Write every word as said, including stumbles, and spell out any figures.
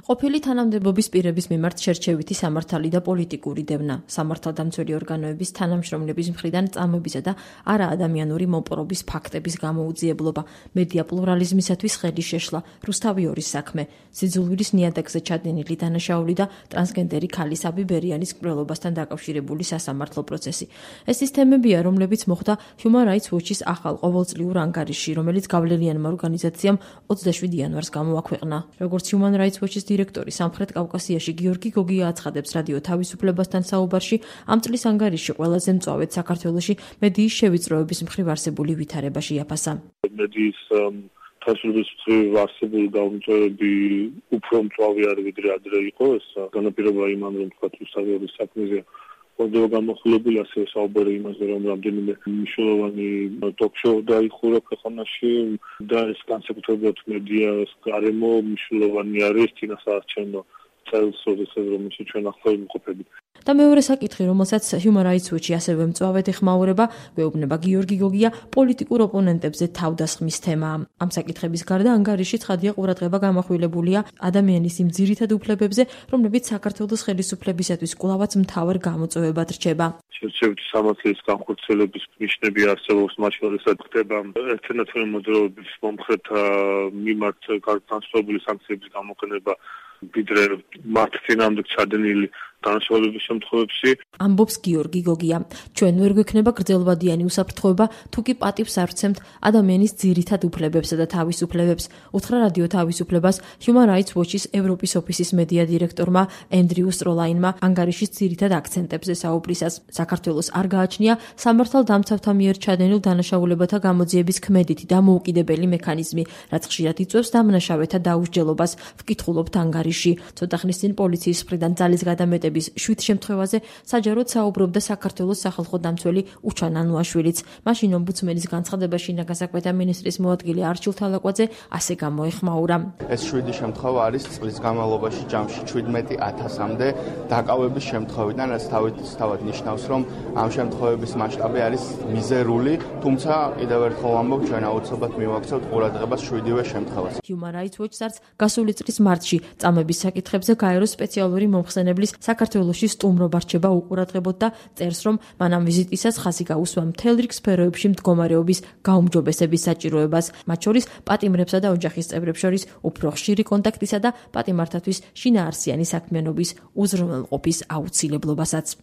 ყოფილი თანამდებობის პირების მიმართ შერჩევითი სამართალი და პოლიტიკური დევნა, სამართალდამცველი ორგანოების თანამშრომლების მხრიდან წამებისა და არაადამიანური მოპყრობის ფაქტების გამოუძიებლობა, მედია პლურალიზმისათვის ხელის შეშლა, რუსთავიორის საქმე, სიძულვილის ნიადაგზე ჩადენილი დანაშაული და ტრანსგენდერი ქალის აბი ბერიანის მკვლელობასთან დაკავშირებული სასამართლო პროცესი. ეს ის თემებია, რომლებიც მოხდა Human Rights Watch-ის ახალ ყოველწლიურ ანგარიშში, რომელიც გავლენიანმა ორგანიზაციამ ოცდაშვიდი იანვარს გამოაქვეყნა. როგორც Human Rights Watch-ის დირექტორი სამხრეთ კავკასიაში გიორგი გოგია აცხადებს რადიო თავისუფლებასთან საუბარში, ამ წლის ანგარიში ყველაზე მწვავედ საქართველოში მედიის შევიწროების მხრივ არსებული ვითარება შეაფასა. მედიის თავისუფლების მხრივ არსებული გამომწვევები უფრო მწვავე არის ვიდრე ადრე იყო. ეს განაპირობა იმან, რომ თქვა რუსთავიორის საქმეზე ხდება გამოხილებული, ასევე საუბარი იმაზე, რომ რამდენიმე მნიშვნელოვანი ტოქ-შოუ დაიხურა ქვეყანაში და ეს განსაკუთრებულად მედიას გარემო მნიშვნელოვანი არის წინასაარჩევნო წელს, როდესაც რომელშიც ჩვენ ახლა ვიმყოფებით. და მეორე საკითხი, რომელსაც Human Rights Watch-ი ასევე მწვავედ ეხმაურება, გვეუბნება გიორგი გოგია, პოლიტიკურ ოპონენტებზე თავდასხმის თემაა. ამ საკითხების გარდა ანგარიში ცხადია ყურადღება გამახვილებულია ადამიანის იმ ძირითად უფლებებზე, რომლებიც საქართველოს ხელისუფლებისათვის კვლავაც მთავარ გამოწვევებად რჩება. შერჩევითი სამართლის განხორციელების ნიშნები არსებობს, მათ შორისაც ხდება ერთენათველი მოძრაობის მომხრეთა მიმართ განსხვავებული სანქციების გამოყენება, ვიდრე მათ წინააღმდეგ ჩადენილი დანაშაულების შემთხვევებში. ამბობს გიორგი გოგია. ჩვენ ვერ გვექნება გრძელვადიანი უსაფრთხოება, თუ კი პატივს არ ვცემთ ადამიანის ძირითად უფლებებსა და თავისუფლებებს, უთხრა რადიო თავისუფლებას Human Rights Watch-ის ევროპის ოფისის მედია დირექტორმა ენდრიუ სტროლაინმა ანგარიშის ძირითად აქცენტებზე საუბრისას. საქართველოს არ გააჩნია სამართალდამცავთა მიერ ჩადენილ დანაშაულებათა გამოძიების ქმედითი და მოუკიდებელი მექანიზმი, რაც ხშირად იწვევს დამნაშავეთა დაუსჯელობას, ვკითხულობთ ანგარიში. ცოტა ხნის წინ პოლიციის მხრიდან ძალის გადამეტების შვიდ შემთხვევაზე საჯაროდ საუბრობდა საქართველოს სახალხო დამცველი უჩან ანუაშვილიც. მაშინ ომბუდსმენის განცხადებაში ნაგასაკვეთა მინისტრის მოადგილე არჩილ თალაკვაძე ასე გამოეხმაურა. ეს შვიდი შემთხვევა არის წლის განმავლობაში ჯამში შვიდმეტი ათასამდე დაკავების შემთხვევიდან, რაც თავისთავად ნიშნავს, რომ ამ შემთხვევების მასშტაბი არის მიზერული, თუმცა კიდევ ერთხელ ვამბობ, ჩვენ აუცილებლად მივაქცევთ ყურადღებას შვიდივე შემთხვევას. Human Rights Watch-ს არც გასული წლის მარტში წამების საკითხებზე გაეროს სპეციალური მომხსენებლის საქართველოში სტუმრობა რჩება უყურადღებოდ და წერს, რომ მანამ ვიზიტისას ხაზი გაუსვა მთელ რიგ სფეროებში მდგომარეობის გაუმჯობესების საჭიროებას, მათ შორის პატიმრებსა და ოჯახის წევრებს შორის უფრო ხშირი კონტაქტისა და პატიმართათვის შინაარსიანი საქმიანობის უზრუნველყოფის აუცილებლობასაც.